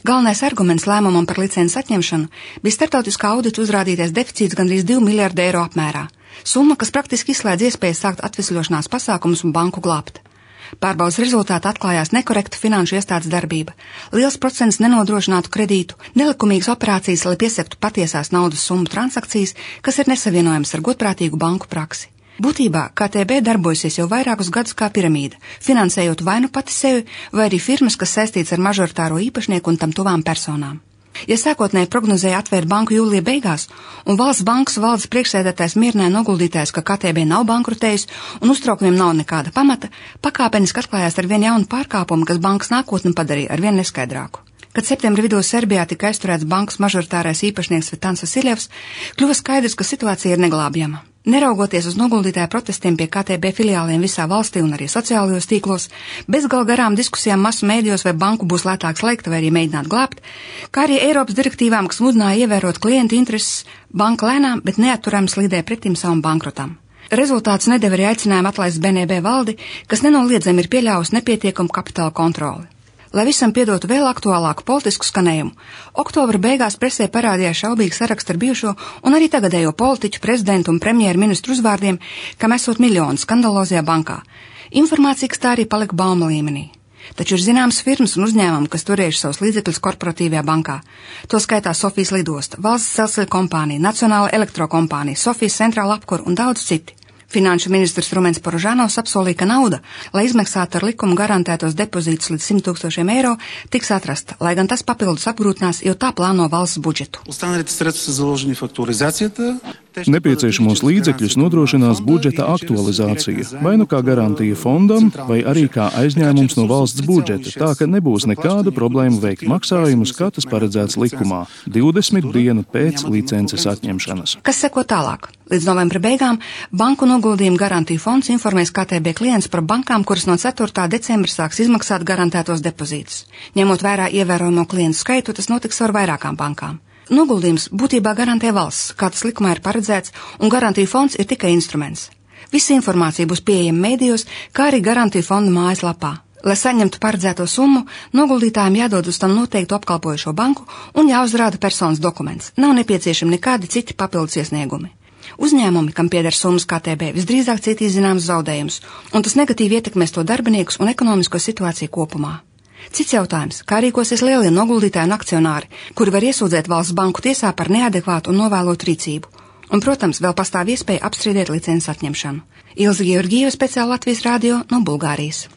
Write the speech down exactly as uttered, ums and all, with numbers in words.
Galvenais arguments lēmumam par licences atņemšanu bija starptautiskā audita uzrādītais deficīts gandrīz divi miljardi eiro apmērā, summa, kas praktiski izslēdz iespējas sākt atvesļošanās pasākumus un banku glābt. Pārbaudas rezultātā atklājās nekorekta finanšu iestādes darbība, liels procents nenodrošinātu kredītu, nelikumīgas operācijas, lai piesaktu patiesās naudas summu transakcijas, kas ir nesavienojams ar godprātīgu banku praksi. Būtībā K T B darbojasies jau vairākus gadus kā piramīda, finansējot vai nu pati sevi, vai arī firmas, kas saistīts ar mažoritāro īpašnieku un tam tuvām personām. Ja sākotnēji prognozēja atvērt banku jūlija beigās, un valsts bankas valdes priekšsēdētājs mierināja noguldītājs, ka K T B nav bankrotējis un uztraukumiem nav nekāda pamata, pakāpeniski atklājās ar vien jaunu pārkāpumu, kas bankas nākotni padarīja ar vien neskaidrāku. Kad septembra vidū Serbijā tika aizturēts bankas mažoritārais īpašnieks Vitans Vasiljevs, kļuva skaidrs, ka situācija ir neglābjama. Neraugoties uz noguldītāju protestiem pie K T B filiāliem visā valstī un arī sociālajos tīklos, bezgal garām diskusijām masu mēdījos, vai banku būs lētāk slēgt vai arī mēģināt glābt, kā arī Eiropas direktīvām, kas mudināja ievērot klientu intereses, banka lēnām, bet neatturami slīdēja pretim savam bankrotam. Rezultāts nedeva arī aicinājumu atlaist B N B valdi, kas nenoliedzami ir pieļāvusi nepietiekumu kapitāla kontroli. Lai visam piedotu vēl aktuālāku politisku skanējumu, oktobra beigās presē parādījās šaubīgi saraksti ar bijušo un arī tagadējo politiķu, prezidentu un premjeru ministru uzvārdiem, kam esot miljoni skandalozajā bankā. Informācija, kas tā arī palika bauma līmenī. Taču ir zināmas firmas un uzņēmumi, kas turējuši savus līdzekļus korporatīvajā bankā. To skaitā Sofijas lidosta, Valsts dzelzceļa kompānija, Nacionāla elektrokompānija, Sofijas centrāla apkura un daudz citi. Finanšu ministrs Rumens Porožanovs apsolīja, ka nauda, lai izmaksātu ar likumu garantētos depozītus līdz simt tūkstošiem eiro, tiks atrasta, lai gan tas papildus apgrūtinās, jo tā plāno valsts budžetu. Nepieciešamos līdzekļus nodrošinās budžeta aktualizācija, vai nu kā garantija fondam, vai arī kā aizņēmums no valsts budžeta, tā ka nebūs nekādu problēmu veikt maksājumus, kā tas paredzēts likumā, divdesmit dienu pēc licences atņemšanas. Kas seko tālāk? Līdz novembra beigām banku noguldījumu garantiju fonds informēs K T B klients par bankām, kuras no ceturtā decembra sāks izmaksāt garantētos depozītus. Ņemot vērā ievērojamo klientu skaitu, tas notiks ar vairākām bankām. Noguldījums būtībā garantē valsts, kā tas likumā ir paredzēts, un garantiju fonds ir tikai instruments. Visa informācija būs pieejama mēdījos, kā arī garantiju fonda mājaslapā. Lai saņemtu paredzēto summu, noguldītājiem jādod uz tam noteiktu apkalpojošo banku un jāuzrāda personas dokuments. Nav nepieciešami nekādi citi papildus iesniegumi. Uzņēmumi, kam pieder summas K T B, visdrīzāk cietīs zināmas zaudējumus, un tas negatīvi ietekmēs to darbiniekus un ekonomisko situāciju kopumā. Cits jautājums, kā rīkosies lielie noguldītāji un akcionāri, kuri var iesūdzēt valsts banku tiesā par neadekvātu un novēlotu rīcību. Un, protams, vēl pastāv iespēja apstrīdēt licences atņemšanu. Ilze Georgieva, speciāli Latvijas radio no Bulgārijas.